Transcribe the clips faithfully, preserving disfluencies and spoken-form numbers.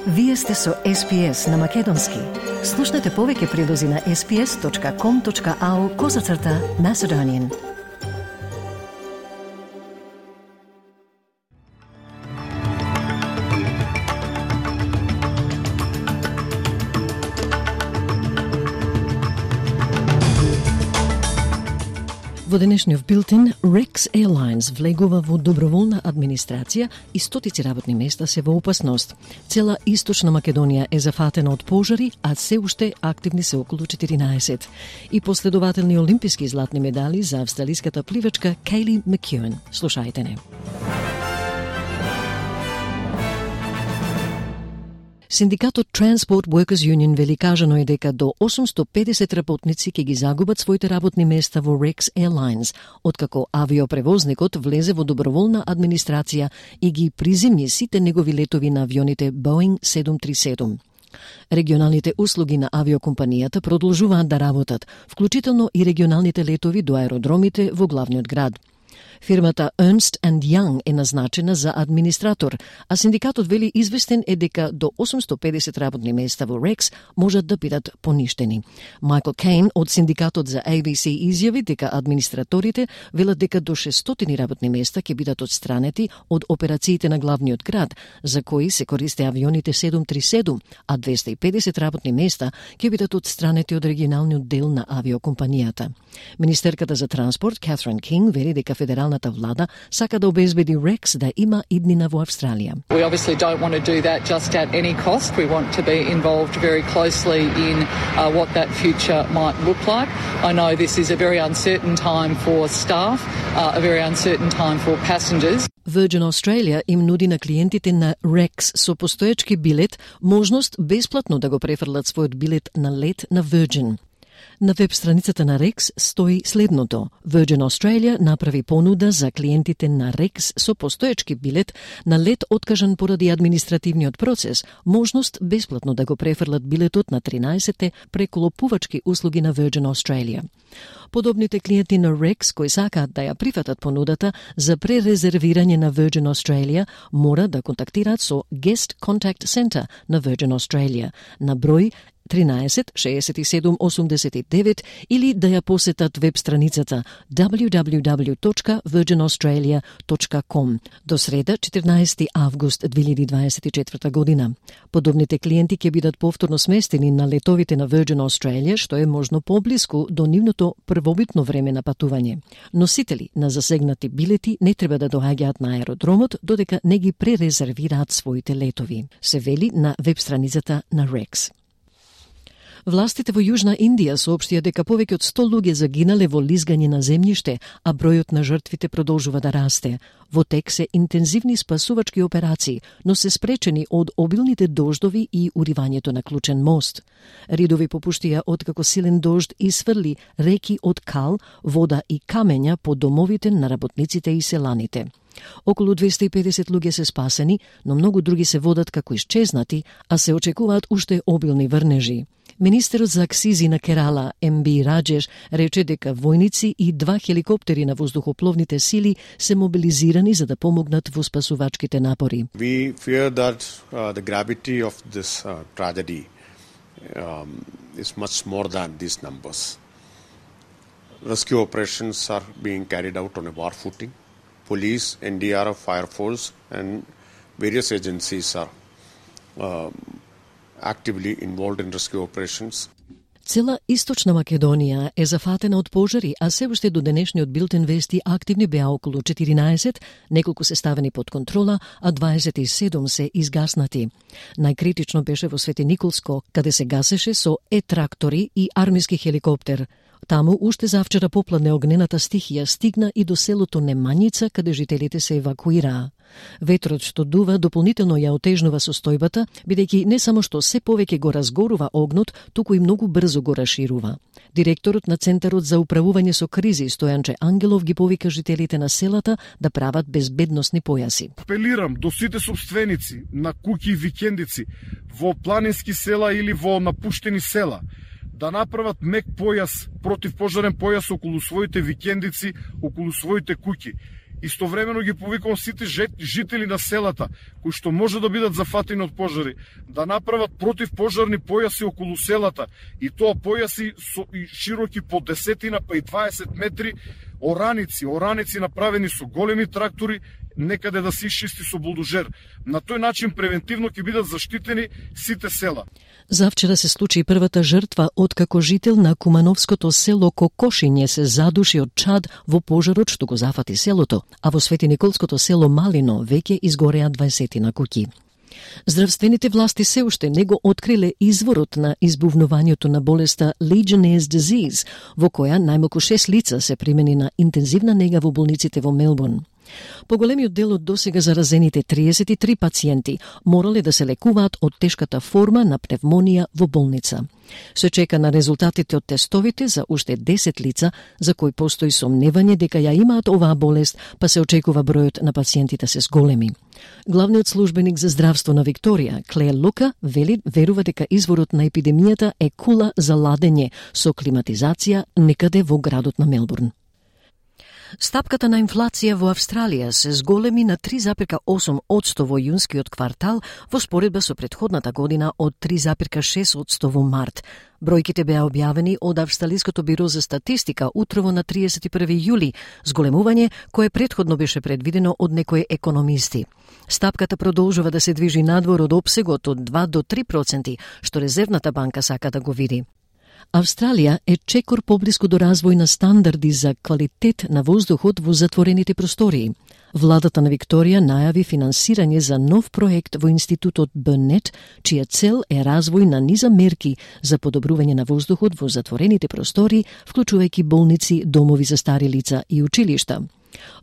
Вие сте со Ес Пи Ес на Македонски. Слушнете повеќе прилози на ес пи ес точка ком точка ау козацрта Macedonian. Во денешниот билтен, Rex Airlines влегува во доброволна администрација и стотици работни места се во опасност. Цела Источна Македонија е зафатена од пожари, а се уште активни се околу четиринаесет. И последователни олимписки златни медали за австралиската пливачка Кейли Макеуен. Слушајте не. Синдикатот Transport Workers Union вели кажано е дека до осумсто педесет работници ќе ги загубат своите работни места во Rex Airlines, откако авиопревозникот влезе во доброволна администрација и ги приземни сите негови летови на авионите Boeing седум три седум. Регионалните услуги на авиокомпанијата продолжуваат да работат, вклучително и регионалните летови до аеродромите во главниот град. Фирмата Ernst and Young е назначена за администратор, а синдикатот вели известен е дека до осумсто педесет работни места во Rex можат да бидат поништени. Майкл Кейн од синдикатот за Ей Би Си изјави дека администраторите велат дека до шестстотини работни места ќе бидат отстранети од операциите на главниот град, за кои се користе авионите седум три седум, а двесте и педесет работни места ќе бидат отстранети од регионалниот дел на авиокомпанијата. Министерката за транспорт Катрин Кинг вели дека федералната влада сака да обезбеди Rex да има иднина во Австралија. We obviously don't want to do that just at any cost. We want to be involved very closely in uh, what that future might look like. I know this is a very uncertain time for staff, uh, a very uncertain time for passengers. Virgin Australia им нуди на клиентите на Rex со постоечки билет можност бесплатно да го префрлат својот билет на лет на Virgin. На веб страницата на Rex стои следното. Virgin Australia направи понуда за клиентите на Rex со постоечки билет на лет откажан поради административниот процес, можност бесплатно да го префрлат билетот на тринаесетте преколопувачки услуги на Virgin Australia. Подобните клиенти на Rex кои сакаат да ја прифатат понудата за пререзервирање на Virgin Australia мора да контактираат со Guest Contact Center на Virgin Australia на број тринаесет шеесет и седум осумдесет и девет или да ја посетат веб страницата дабљу дабљу дабљу точка вирџин аустралија точка ком до среда четирнаесети август две илјади дваесет и четврта година. Подобните клиенти ќе бидат повторно сместени на летовите на Virgin Australia, што е можно поблиску до нивното првобитно време на патување. Носители на засегнати билети не треба да доаѓаат на аеродромот додека не ги пререзервираат своите летови, се вели на веб страницата на Rex. Властите во Јужна Индија соопштија дека повеќе од сто луѓе загинале во лизгање на земјиште, а бројот на жртвите продолжува да расте. Во тек се интензивни спасувачки операции, но се спречени од обилните дождови и уривањето на клучен мост. Ридови попуштија откако силен дожд исфрли реки од кал, вода и камења по домовите на работниците и селаните. Околу двесте и педесет луѓе се спасени, но многу други се водат како исчезнати, а се очекуваат уште обилни врнежи. Министерот за акцизи на Керала, Ем Би Раджеш, рече дека војници и два хеликоптери на воздухопловните сили се мобилизирани за да помогнат во спасувачките напори. We fear that uh, the gravity of this uh, tragedy um, is much more than these numbers. Rescue operations are being carried out on a war footing. Police, Ен Ди Ар Еф, Fire Force and various agencies are um, actively involved in rescue operations. Цела Источна Македонија е зафатена од пожари, а се уште до денешниот билтен вести активни беа околу четиринаесет, неколку се ставени под контрола, а дваесет и седум се изгаснати. Најкритично беше во Свети Николско, каде се гасеше со е-трактори и армиски хеликоптер. Таму уште завчера попладне огнената стихија стигна и до селото Немањица, каде жителите се евакуираа. Ветрот што дува дополнително ја отежнува состојбата, бидејќи не само што се повеќе го разгорува огнот, туку и многу брзо го расширува. Директорот на Центарот за управување со кризи Стојанче Ангелов ги повика жителите на селата да прават безбедносни појаси. Апелирам до сите собственици на куќи и викендици во планински села или во напуштени села да направат мек појас, противпожарен појас околу своите викендици, околу своите куќи. Истовремено ги повикувам сите жители на селата, кои што може да бидат зафатени од пожари, да направат противпожарни појаси околу селата, и тоа појаси со и широки по десетина па и дваесет метри, ораници, ораници направени со големи трактори, некаде да се исчисти со булдожер. На тој начин превентивно ќе бидат заштитени сите села. Завчера се случи првата жртва откако жител на кумановското село Кокошиње се задуши од чад во пожарот што го зафати селото, а во Свети Николското село Малино веќе изгореа дваесетина куќи. Здравствените власти се уште не го откриле изворот на избувнувањето на болеста Legionnaire's disease, во која најмалку шест лица се примени на интензивна нега во болниците во Мелбурн. Поголемиот дел од досега заразените триесет и три пациенти морале да се лекуваат од тешката форма на пневмонија во болница. Се чека на резултатите од тестовите за уште десет лица за кои постои сомневање дека ја имаат оваа болест, па се очекува бројот на пациентите се зголеми. Главниот службеник за здравство на Викторија, Клеер Лука, вели верува дека изворот на епидемијата е кула за ладење со климатизација некаде во градот на Мелбурн. Стапката на инфлација во Австралија се зголеми на три запирка осум одсто во јунскиот квартал во споредба со претходната година од три запирка шест одсто во март. Бројките беа објавени од Австралиското биро за статистика утрово на триесет и први јули, зголемување кое претходно беше предвидено од некои економисти. Стапката продолжува да се движи надвор од опсегот од два до три проценти, што Резервната банка сака да го види. Австралија е чекор поблиску до развој на стандарди за квалитет на воздухот во затворените простории. Владата на Викторија најави финансирање за нов проект во Институтот Бърнет, чија цел е развој на низа мерки за подобрување на воздухот во затворените простории, вклучувајќи болници, домови за стари лица и училишта.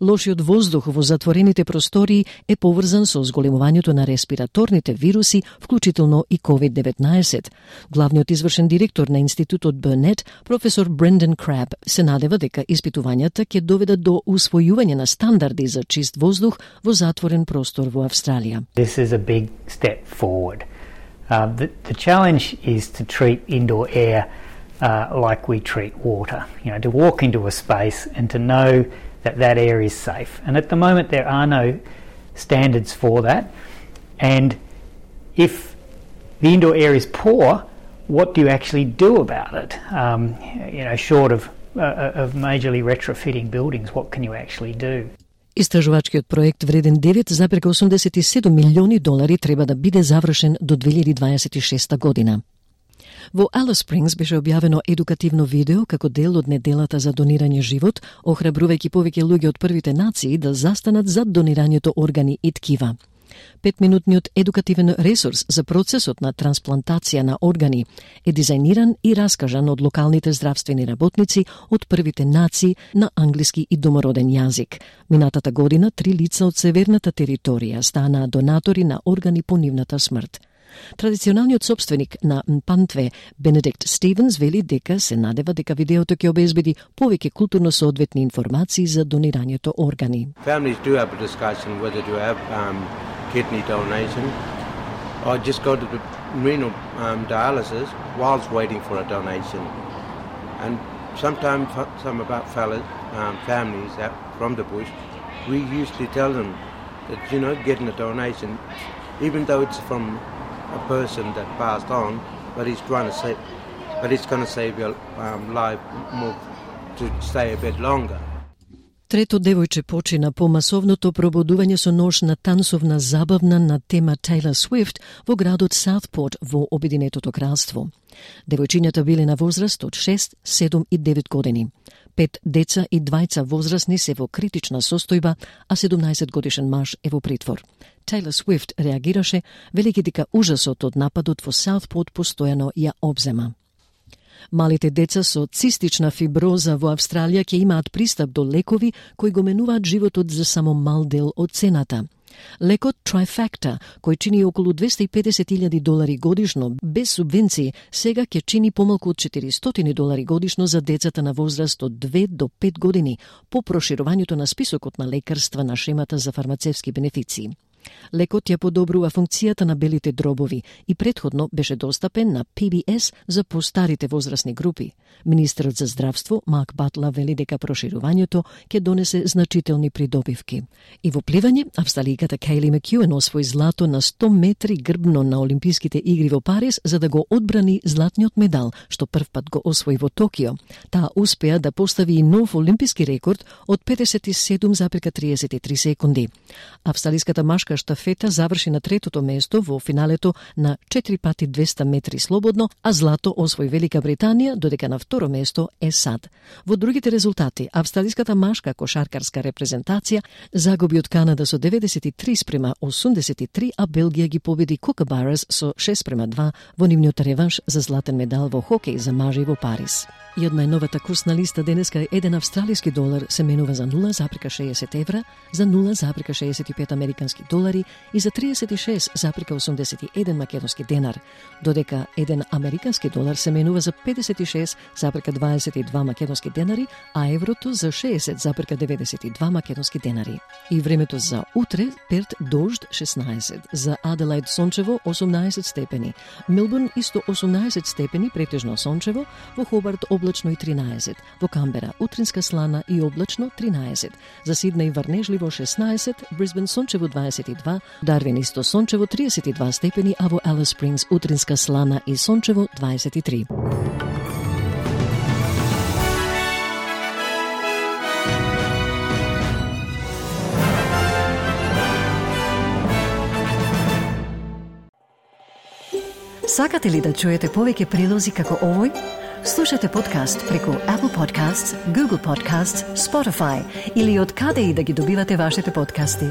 Лошиот воздух во затворените простории е поврзан со зголемувањето на респираторните вируси, вклучително и ковид деветнаесет. Главниот извршен директор на Институтот Бърнет, професор Брендон Краб, се надева дека испитувањата ќе доведат до усвојување на стандарди за чист воздух во затворен простор во Австралија. This is a big step forward. Uh, the, the challenge is to treat indoor air uh, like we treat water. You know, to walk into a space and to know that that air is safe. And at the moment there are no standards for that. And if the indoor air is poor, what do you actually do about it? Um, you know, short of, uh, of majorly retrofitting buildings, what can you actually do? Истражувачкиот проект вреден девет запирка осумдесет и седум милиони долари треба да биде завршен до две илјади дваесет и шеста година. Во Алис Спрингс беше објавено едукативно видео како дел од неделата за донирање живот, охрабрувајќи повеќе луѓе од првите нации да застанат зад донирањето органи и ткива. Петминутниот едукативен ресурс за процесот на трансплантација на органи е дизајниран и раскажан од локалните здравствени работници од првите нации на англиски и домороден јазик. Минатата година три лица од северната територија станаа донатори на органи по нивната смрт. Традиционалниот собственик на Мпантве, Бенедикт Стивенс, вели дека се надева дека видеото ќе обезбеди повеќе културно соодветни информации за донирањето органи. Families do have a discussion whether to have um, kidney donation or just go to the renal um, dialysis whilst waiting for a donation. And sometimes some of our fellas, um, families that from the bush, we usually tell them that, you know, getting a donation, even though it's from a person that passed on, but he's trying to save, but it's going to save your um, life more to stay a bit longer. Трето девојче почина по масовното пробудување со нож на тансовна забавна на тема Taylor Swift во градот Саутпорт во Обединетото кралство. Девојчињата биле на возраст од шест, седум и девет години. Пет деца и двајца возрастни се во критична состојба, а седумнаесет годишен маж е во притвор. Taylor Swift реагираше, велики дека ужасот од нападот во Саутпорт постојано ја обзема. Малите деца со цистична фиброза во Австралија ќе имаат пристап до лекови кои го менуваат животот за само мал дел од цената. Лекот Trifacta, кој чини околу двесте и педесет илјади долари годишно без субвенции, сега ќе чини помалку од четиристотини долари годишно за децата на возраст од две до пет години по проширувањето на списокот на лекарства на шемата за фармацевски бенефиции. Лекот ја подобрува функцијата на белите дробови и претходно беше достапен на Пи Би Ес за постарите возрастни групи. Министерот за здравство Марк Батлер вели дека проширувањето ќе донесе значителни придобивки. И во пливање, австралијката Кейли Макјуен освои злато на сто метри грбно на Олимписките игри во Париз за да го одбрани златниот медал, што првпат го освои во Токио. Таа успеа да постави и нов олимписки рекорд од педесет и седум зарез триесет и три секунди. Австралиската машка штафета заврши на третото место во финалето на четири пати двеста метри слободно, а злато освои Велика Британија, додека на второ место е САД. Во другите резултати, австралиската машка кошаркарска репрезентација загуби од Канада со деветдесет и три спрема осумдесет и три, а Белгија ги победи Кукабарас со шест спрема два во нивниот реванш за златен медал во хокеј за мажи во Париз. И од најновата курсна листа денеска еден австралиски долар се менува за нула зарез шеесет евра, за нула зарез шеесет и пет американски долари и за триесет и шест зарез осумдесет и еден македонски денар, додека еден американски долар се менува за педесет и шест зарез дваесет и два македонски денари, а еврото за шеесет зарез деветдесет и два македонски денари. И времето за утре: Перт дожд шеснаесет, за Аделаид сончево осумнаесет степени, Мелбурн исто осумнаесет степени претежно сончево, во Хобарт облачно и тринаесет, во Камбера утринска слана и облачно тринаесет, за Сиднеј врнежливо шеснаесет, Брисбен сончево дваесет и два, Дарвин исто сончево триесет и два степени, а во Алис Спрингс утринска слана и сончево дваесет и три. Сакате ли да чуете повеќе прилози како овој? Слушате подкаст преку Apple Podcasts, Google Podcasts, Spotify или од каде и да ги добивате вашите подкасти.